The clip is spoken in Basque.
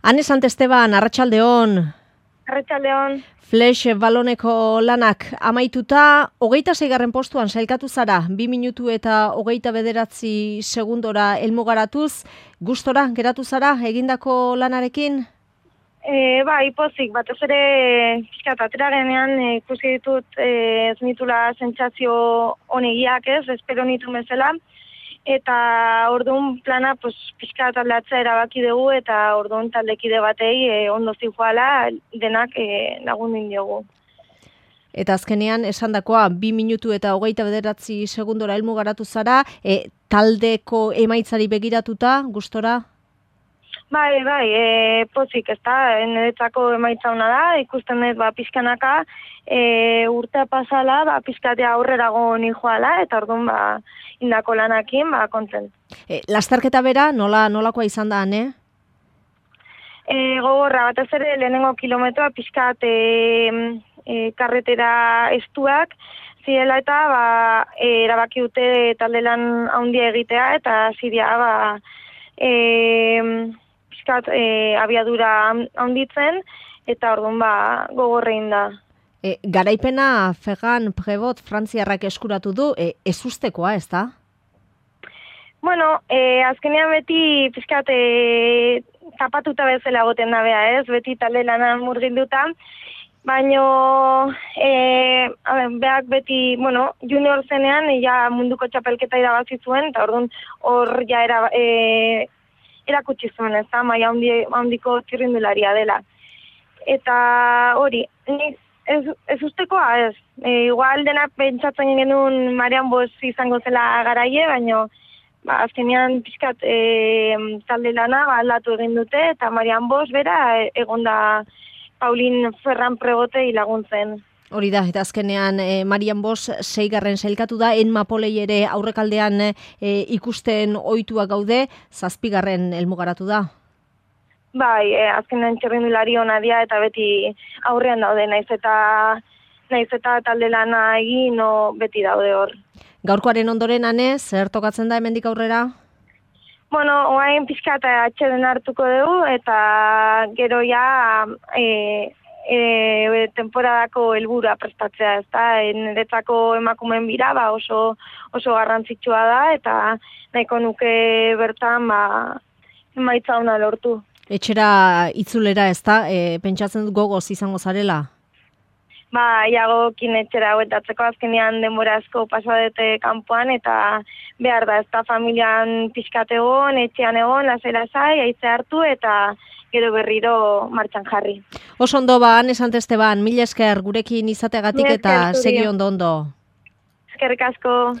Ane Santesteban, Arratsaldeon. Arratsaldeon. Flash baloneko lanak amaituta, 26. postuan sailkatu zara, 2 minutu eta 29 segundora helmugaratuz, gustora geratu zara egindako lanarekin? Bai, pozik, batez ere pixkat atera genean ikusi ditut ez nitula sentsazio onegiak espero nitu bezala, eta orduan plana pixkat aldatzea erabaki dugu, eta orduan taldekide batei ondo zijoala denak lagundu diogu. Eta azkenean esandakoa 2 minutu eta 29 segundora helmugaratu zara, taldeko emaitzari begiratuta, gustora? Bai, pozik, niretzako emaitza ona da, ikusten dut pixkanaka urtea pasala, pixkatea aurrerago nijoala, eta orduan indako lanakin kontent. Lasterketa bera, nolakoa izan da, ane? Gogorra, batez ere lehenengo kilometroa pixkat karretera estuak zirela, eta erabaki dute talde lan handia egitea, eta ziria pixkat abiadura handitzen, eta orduan gogorrein da. Garaipena Ferran Prevot frantziarrak eskuratu du, ezustekoa, ez da? Bueno, azkenean beti pixkat tapatuta bezala goten da bea, beti talde lanan murgilduta, baino beak beti, junior zenean munduko txapelketa irabazi zuen, eta orduan hor ja erakutsi zuen, ez da, maila handiko txirrindularia dela. Eta hori, ez ustekoa, ez. Igual denak pentsatzen genuen Marian Bosch izango zela garaie, baino azkenean pixkat talde lana aldatu egin dute, eta Marian Bosch bera egonda Paulin Ferran Prebotei laguntzen. Hori da, eta azkenean Marian Bosch 6. sailkatu da, Enmapolei ere aurrekaldean ikusten ohituak gaude, 7. helmugaratu da. Bai, azkenean txirrindulari ona dira, eta beti aurrean daude, naiz eta talde lana egin, beti daude hor. Gaurkoaren ondoren, ane, zer tokatzen da hemendik aurrera? Bueno, oain pixkat atxeden hartuko dugu, eta gero ja temporadako helburua prestatzea, ez da, niretzako emakumeen bira oso garrantzitsua da, eta nahiko nuke bertan emaitza ona lortu. Etxera itzulera, ez da, pentsatzen dut gogoz izango zarela? Iagokin etxera huetatzeko, azkenean denbora asko pasadete kanpoan, eta behar da, ez da, familian pixkat egon, etxean egon, lasai, haitze hartu, eta gero berriro martxan jarri. Oso ondo Ane Santesteban, mila esker gurekin izateagatik eta segi ondo. Eskerrik asko.